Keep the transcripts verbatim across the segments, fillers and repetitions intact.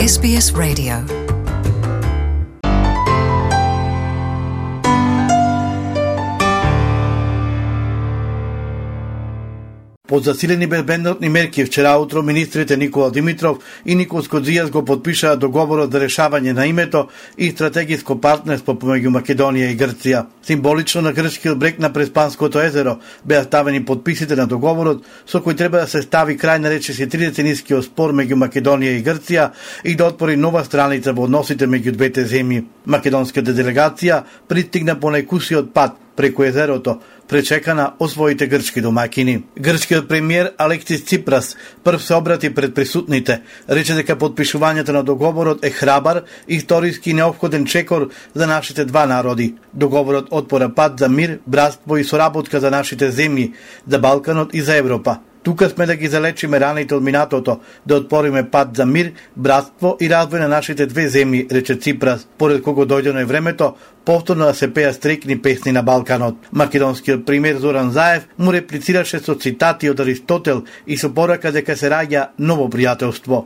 Ес Би Ес Radio. Под засилени безбедносни мерки вчера утро министрите Никола Димитров и Никос Коцijas го подпишаа договорот за решавање на името и стратегиско партнерство помеѓу Македонија и Грција. Символично на грчкиот брег на Преспанското езеро беа ставени подписите на договорот со кој треба да се стави крај на речиси тридеценискиот спор меѓу Македонија и Грција и да отвори нова страница во односите меѓу двете земји. Македонската делегација пристигна по најкусиот пат преку езерото, пречекана од своите грчки домакини. Грчкиот премиер Алексис Ципрас прв се обрати пред присутните, рече дека подпишувањето на договорот е храбар, историски неопходен чекор за нашите два народи. Договорот отвора пат за мир, братство и соработка за нашите земји, за Балканот и за Европа. Тука сме да ги залечиме раните од минатото, да отвориме пат за мир, братство и развој на нашите две земји, рече Ципрас, поред кого дојдено е времето повторно да се пеа стрекни песни на Балканот. Македонскиот премиер Зоран Заев му реплицираше со цитати од Аристотел и со порака дека се раѓа ново пријателство.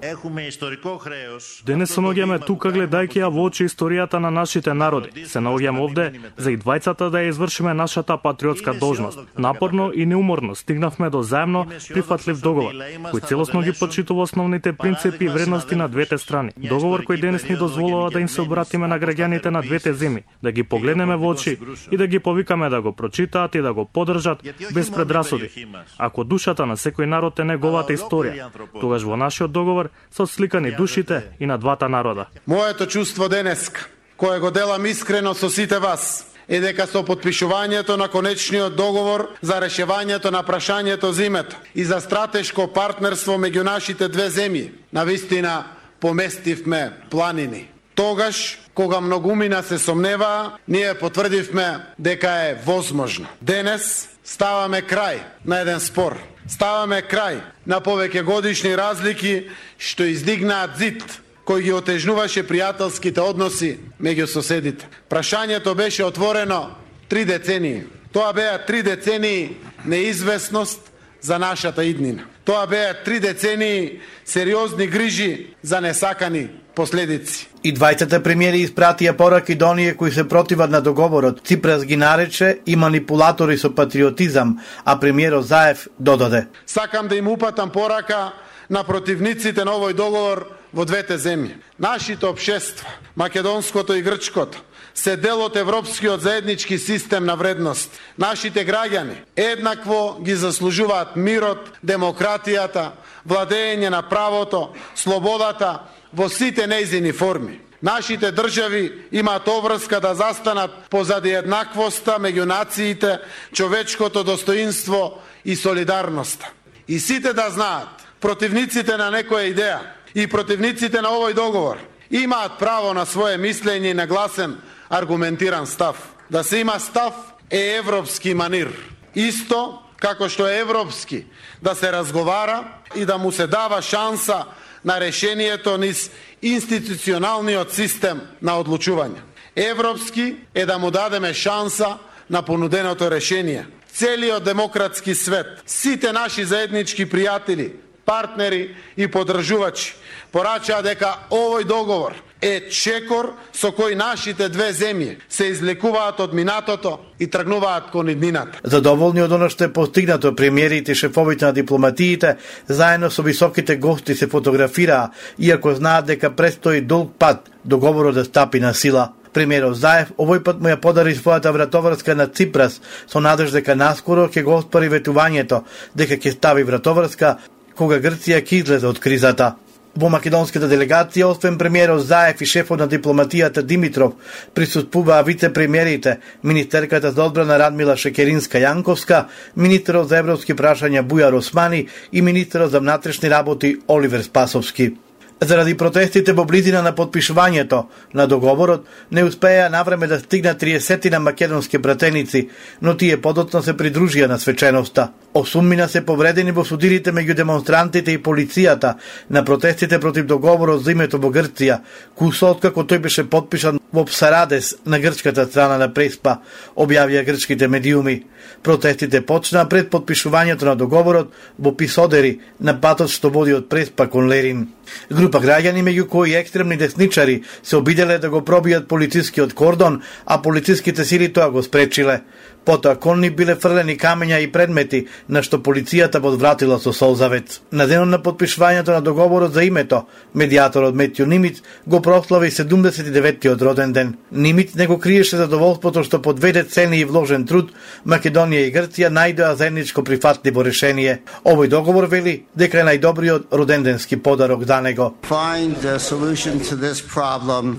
Денес се наоѓаме тука гледајќи ја во очи историјата на нашите народи. Се наоѓаме овде за и двајцата да ја извршиме нашата патриотска должност. Напорно и неуморно стигнавме до заемно прифатлив договор, кој целосно ги почитува основните принципи и вредности на двете страни. Договор кој денес ни дозволува да им се обратиме на граѓаните на двете земји, да ги погледнеме во очи и да ги повикаме да го прочитаат и да го поддржат без предрасуди. Ако душата на секој народ е неговата историја, тогаш во нашиот договор се отсликани душите и на двата народа. Моето чувство денеска, кое го делам искрено со сите вас, е дека со подпишувањето на конечниот договор за решавањето на прашањето за името и за стратешко партнерство меѓу нашите две земји, навистина поместивме планини. Тогаш, кога многумина се сомневаа, ние потврдивме дека е возможно. Денес ставаме крај на еден спор. Ставаме крај на повеќе годишни разлики што издигнаат зид кој ги отежнуваше пријателските односи меѓу соседите. Прашањето беше отворено три децении. Тоа беа три децении неизвестност за нашата иднина. Тоа беа три децении сериозни грижи за несакани последици. И двајцата премиери испратија пораки до оние кои се противат на договорот. Ципрас ги нарече и манипулатори со патриотизам, а премиерот Заев додаде: Сакам да им упатам порака на противниците на овој договор во двете земји. Нашите општества, македонското и грчкото, се дел од европскиот заеднички систем на вредност. Нашите граѓани еднакво ги заслужуваат мирот, демократијата, владење на правото, слободата во сите нејзини форми. Нашите држави имаат обврска да застанат позади еднаквоста меѓу нациите, човечкото достоинство и солидарноста. И сите да знаат, противниците на некоја идеја и противниците на овој договор имаат право на свое мислење и на гласен аргументиран став. Да се има став е европски манир. Исто како што е европски да се разговара и да му се дава шанса на решението низ институционалниот систем на одлучување. Европски е да му дадеме шанса на понуденото решение. Целиот демократски свет, сите наши заеднички пријатели, партнери и поддржувачи порачаа дека овој договор е чекор со кој нашите две земји се излекуваат од минатото и тргнуваат кон иднината. Задоволни од оно што е постигнато, премиерите и шефовите на дипломатиите заедно со високите гости се фотографираа, иако знаат дека престои долг пат договорот да стапи на сила. Премиерот Заев овој пат му ја подари својата вратоврска на Ципрас со надеж дека наскоро ќе го оспари ветувањето дека ќе стави вратоврска кога Грција ќе излезе од кризата. Во македонската делегација, освен премиерот Заев и шефот на дипломатијата Димитров, присуствуваа вице-премиерите, министерката за одбрана Радмила Шекеринска-Јанковска, министерот за европски прашања Бујар Османи и министерот за внатрешни работи Оливер Спасовски. Заради протестите во близина на подпишувањето на договорот, не успеа навреме да стигнат триесет македонски пратеници, но тие подоцна се придружија на свеченоста. Осуммина се повредени во судирите меѓу демонстрантите и полицијата на протестите против договорот за името во Грција, кусо откако тој беше подпишан во Псарадес на грчката страна на Преспа, објавија грчките медиуми. Протестите почнаа пред подпишувањето на договорот во Писодери, на патот што води од Преспа кон Лерин. Групи пак граѓани меѓу кои екстремни десничари се обиделе да го пробијат полицискиот кордон, а полициските сили тоа го спречиле. Потоа кон нив биле фрлени камења и предмети, на што полицијата подвратила со солзавец. На денот на подпишувањето на договорот за името, медијаторот Метју Нимиц го прослави седумдесет и деветтиот роден ден. Нимиц не го криеше задоволството што по две децении и вложен труд Македонија и Грција најдоа заедничко прифатливо решение. Овој договор вели дека е најдобриот роденденски подарок за него.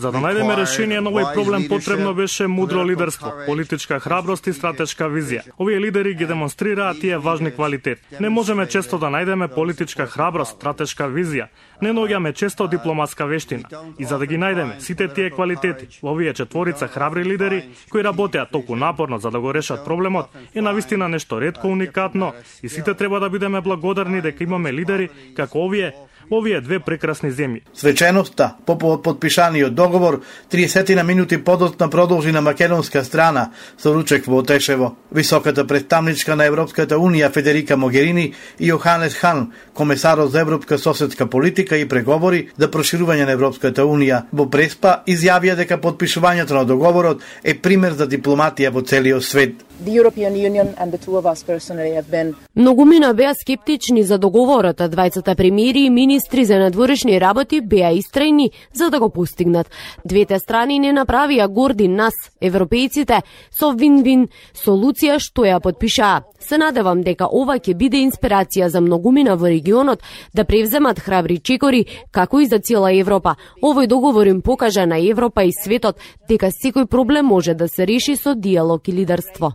За да најдеме решение на овој проблем потребно беше мудро лидерство, политичка храброст и стратешка визија. Овие лидери ги демонстрираат тие важни квалитети. Не можеме често да најдеме политичка храброст, стратешка визија. Не наоѓаме често дипломатска вештина. И за да ги најдеме сите тие квалитети, овие четворица храбри лидери кои работеат толку напорно за да го решат проблемот, е навистина нешто ретко уникатно и сите треба да бидеме благодарни дека имаме лидери како овие овие две прекрасни земји. Свеченоста по подпишаниот договор триесет на минути подоцна продолжи на македонска страна со ручек во Тешево. Високата представничка на Европската унија Федерика Могерини и Јоханес Хан, комесарот за европска соседска политика и преговори за проширување на Европската унија, во Преспа изјавија дека подпишувањето на договорот е пример за дипломатија во целиот свет. Многумина беа скептични за договорот, а двајцата премиери и министри за надворешни работи беа истрајни за да го постигнат. Двете страни не направија горди нас, европејците, со вин-вин солуција што ја подпишаа. Се надевам дека ова ќе биде инспирација за многумина во регионот да превземат храбри чекори, како и за цела Европа. Овој договор им покажа на Европа и светот дека секој проблем може да се реши со диалог и лидерство.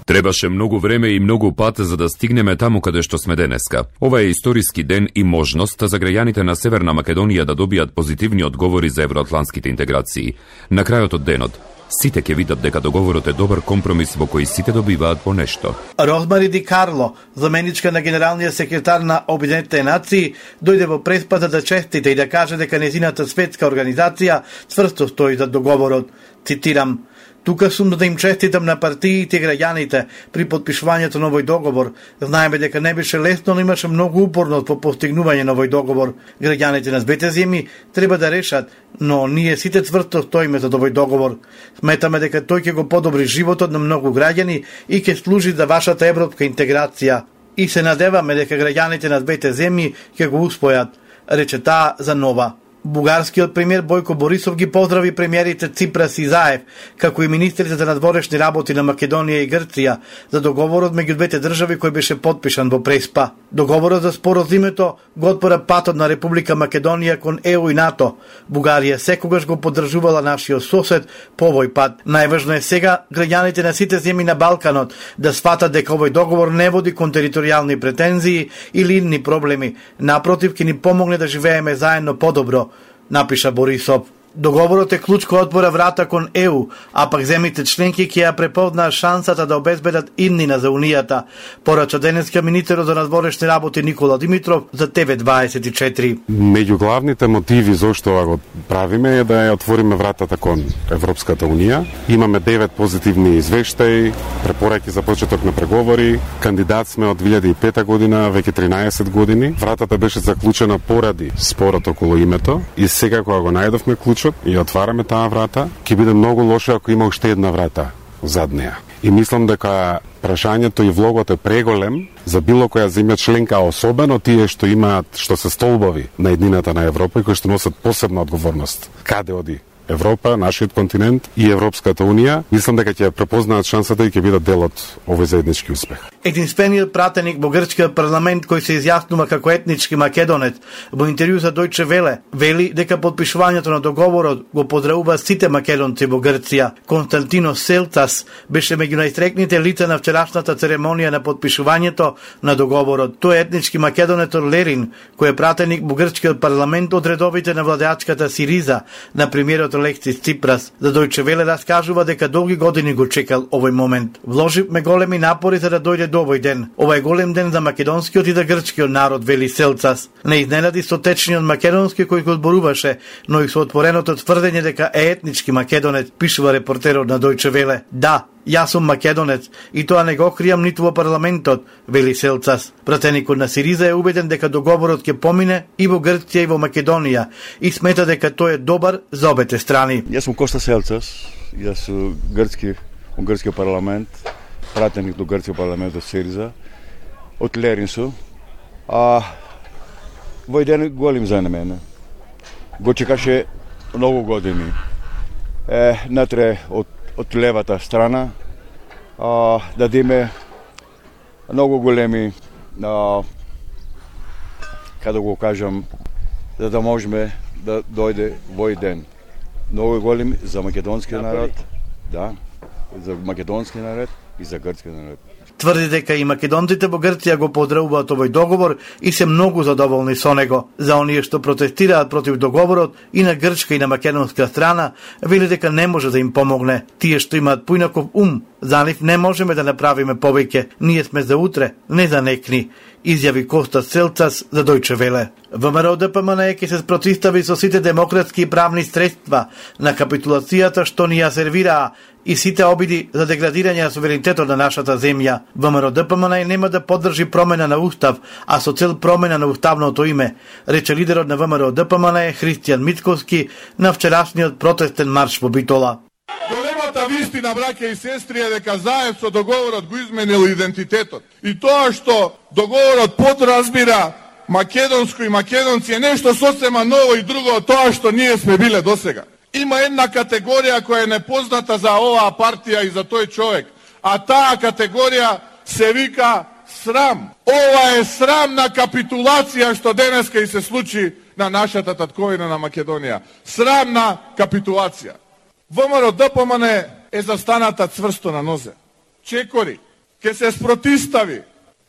Требаше многу време и многу пат за да стигнеме таму каде што сме денеска. Ова е историски ден и можност за граѓаните на Северна Македонија да добијат позитивни одговори за евроатлантските интеграции. На крајот од денот, сите ќе видат дека договорот е добар компромис во кој сите добиваат по нешто. Розмари Ди Карло, заменичка на генералниот секретар на Обединетите нации, дојде во Преспа за да честите и да каже дека незината светска организација цврсто стои за договорот. Цитирам: "Тука сум да им честитам на партиите и граѓаните при подпишувањето на овој договор. Знаеме дека не беше лесно, но имаше многу упорност по постигнување на овој договор. Граѓаните на двете земји треба да решат, но ние сите цврсто стоиме за овој договор. Сметаме дека тој ќе го подобри животот на многу граѓани и ќе служи за вашата европска интеграција. И се надеваме дека граѓаните на двете земји ќе го успојат", рече таа за Нова. Бугарскиот премиер Бојко Борисов ги поздрави премиерите Ципрас и Заев, како и министрите за надворешни работи на Македонија и Грција за договорот меѓу двете држави кој беше подпишан во Преспа. Договорот за споразумето го отвора патот на Република Македонија кон Е У и НАТО. Бугарија секогаш го поддржувала нашиот сосед по овој пат. Најважно е сега граѓаните на сите земји на Балканот да сватат дека овој договор не води кон територијални претензии или идни проблеми. Напротив, ќе ни помогне да живееме заедно подобро, напиша Борисов. Договорот е клуч кој отвора врата кон Е У, а пак земјите членки ќе ја препознаат шансата да обезбедат иднина за Унијата, порача денеска министерот за надворешни работи Никола Димитров за Т В дваесет и четири. Меѓу главните мотиви зошто ова го правиме е да ја отвориме вратата кон Европската Унија. Имаме девет позитивни извештаи, препораки за почеток на преговори. Кандидат сме од две илјади и пета година, веќе тринаесет години. Вратата беше заклучена поради спорот околу името и сега кога го најдовме клучот и отвараме таа врата, ќе биде многу лошо ако има уште една врата зад неа. И мислам дека прашањето и влогот е преголем за било која земја членка, особено тие што имаат, што се столбови на еднината на Европа и кои што носат посебна одговорност. Каде оди Европа, нашиот континент и Европската Унија, мислам дека ќе препознаат шансата и ќе бидат дел од овој заеднички успех. Единствениот пратеник во грчкиот парламент кој се изјаснува како етнички македонец во интервју за Дојче Веле вели дека подпишувањето на договорот го поздравува сите македонци во Грција. Константино Селтас беше меѓу најстрекните лица на вчерашната церемонија на подпишувањето на договорот. Тој е етнички македонец од Лерин, кој е пратеник во грчкиот парламент од редовите на владеачката Сириза на премиерот Алексис Ципрас. За Дојче Веле раскажува дека долги години го чекал овој момент. Вложивме големи напори за да дојде до овој ден. Ова е голем ден за македонскиот и за грчкиот народ, вели Селцас. Не изненади со течниот македонски кој го зборуваше, но и со отвореното тврдење дека е етнички македонец, пишува репортерот на Дојче Веле. Да, Јас сум македонец и тоа не го кријам ниту во парламентот, вели Селцас. Пратеникот на Сириза е убеден дека договорот ќе помине и во Грција и во Македонија и смета дека тој е добар за обете страни. Јас сум Коста Селцас, јас сум грцки, од грцкиот парламент, пратеник до грцкиот парламент од Сириза, од Леринсу. А вој ден голем за мене. Го чекаше многу години. Е, натре од, од левата страна а, дадиме многу големи а, каде го кажам, за да можеме да дојде вој ден. Многу големи за македонскиот народ, да, за македонски народ и за грцки народ. Тврди дека и македонците во Грција го поздравуваат овој договор и се многу задоволни со него. За оние што протестираат против договорот и на грчка и на македонска страна, вели дека не може да им помогне. Тие што имаат поинаков ум, за нив не можеме да направиме повеќе. Ние сме за утре, не за некни, изјави Коста Селцас за Дојче Веле. ВМРО Д П М Н Е ќе се спротистави со сите демократски и правни средства на капитулацијата што ни ја сервираа и сите обиди за деградирање на суверенитетот на нашата земја. ВМРО Д П М Н Е нема да поддржи промена на устав, а со цел промена на уставното име, рече лидерот на ВМРО Д П М Н Е Христијан Мицковски на вчерашниот протестен марш во Битола. Големата вистина, браќа и сестри, е дека заед со договорот го изменил идентитетот. И тоа што договорот подразбира македонско и македонци е нешто сосема ново и друго од тоа што ние сме биле досега. Има една категорија која е непозната за оваа партија и за тој човек, а таа категорија се вика срам. Ова е срамна капитулација што денеска и се случи на нашата татковина на Македонија. Срамна капитулација. ВМРО Д П М Н Е е застаната цврсто на нозе. Чекори, ке се спротистави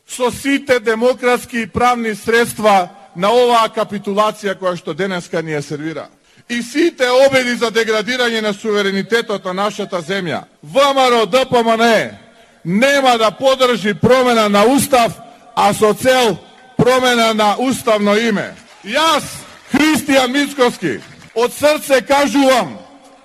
со сите демократски и правни средства на оваа капитулација која што денеска ни ја сервира. И сите обиди за деградирање на суверенитетот на нашата земја. ВМРО Д П М Н Е нема да подржи промена на устав, а со цел промена на уставно име. Јас, Христијан Мицковски, од срце кажувам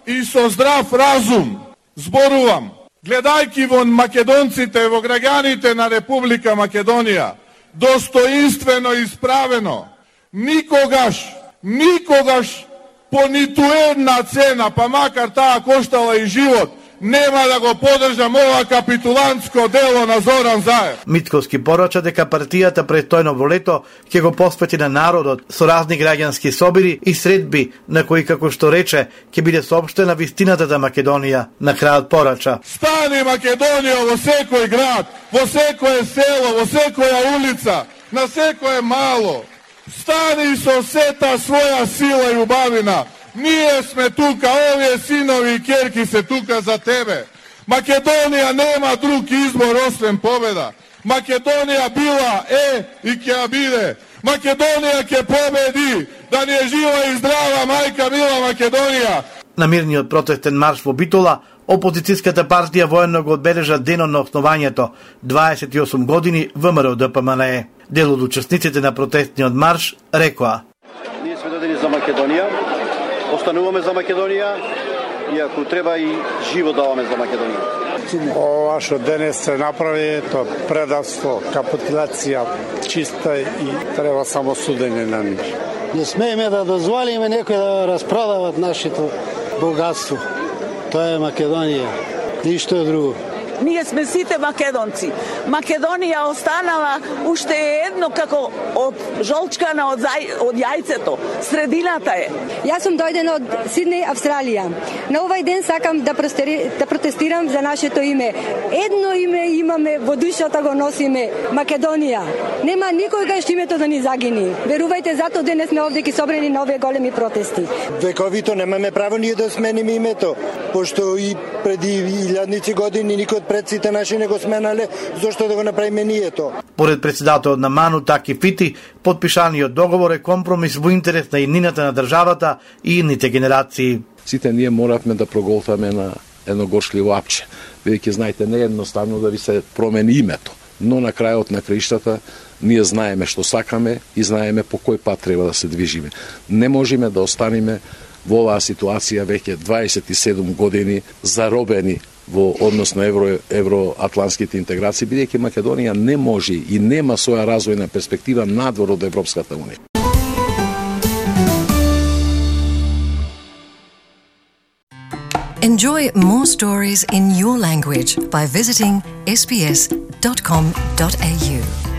и со здрав разум зборувам, гледајќи во македонците, во граѓаните на Република Македонија, достоинствено исправено, никогаш, никогаш по ниту една цена, па макар таа коштала и живот, нема да го поддржам ова капитулантско дело на Зоран Заев. Мицковски порача дека партијата престојно во лето ќе го посвети на народот со разни граѓански собири и средби на кои, како што рече, ќе биде соопштена вистината за Македонија. На крајот порача: стани Македонија во секој град, во секое село, во секоја улица, на секое мало. Стани со сета своја сила и убавина. Ние сме тука, овие синови и керки се тука за тебе. Македонија нема друг избор освен победа. Македонија била, е и ќе биде. Македонија ќе победи. Да ни е жива и здрава мајка мила Македонија. На мирниот протестен марш во Битола, опозицијската партија воено го одбележа денот на основањето, дваесет и осум години ВМРО Д П М Н Е. Дел од учесниците на протестниот марш рекоа: ние сме додени за Македонија, остануваме за Македонија и ако треба и живо даваме за Македонија. Ова што денес се направи, тоа предавство, капитулација чиста и треба само судење на нив. Не смееме да дозволиме некој да распродават нашето богатство. Тоа е Македонија, ништо друго. Ние сме сите македонци. Македонија останала уште едно како од жолчкана од, зај, од јајцето. Средината е. Јас сум дојдена од Сиднеј, Австралија. На овој ден сакам да, простери, да протестирам за нашето име. Едно име имаме, во душата го носиме, Македонија. Нема никогаш името да ни загини. Верувајте, зато денес сме овде ки собрани на овие големи протести. Вековито немаме право ние да смениме името, пошто и преди илјадници години никој од предците наши не го сменале, зошто да го направиме ние тоа? Поред председателот на МАНУ Таки Фити, потпишаниот договор е компромис во интерес на иднината на државата и идните генерации. Сите ние моравме да проголтаме на едно горшливо апче, бидејќи знаете не е едноставно да ви се промени името, но на крајот на краиштата ние знаеме што сакаме и знаеме по кој пат треба да се движиме. Не можеме да останеме во оваа ситуација веќе дваесет и седум години заробени во однос на евро евроатлантските интеграции, бидејќи Македонија не може и нема своја развојна перспектива надвор од Европската унија. Enjoy more stories in your language by visiting s b s dot com dot a u.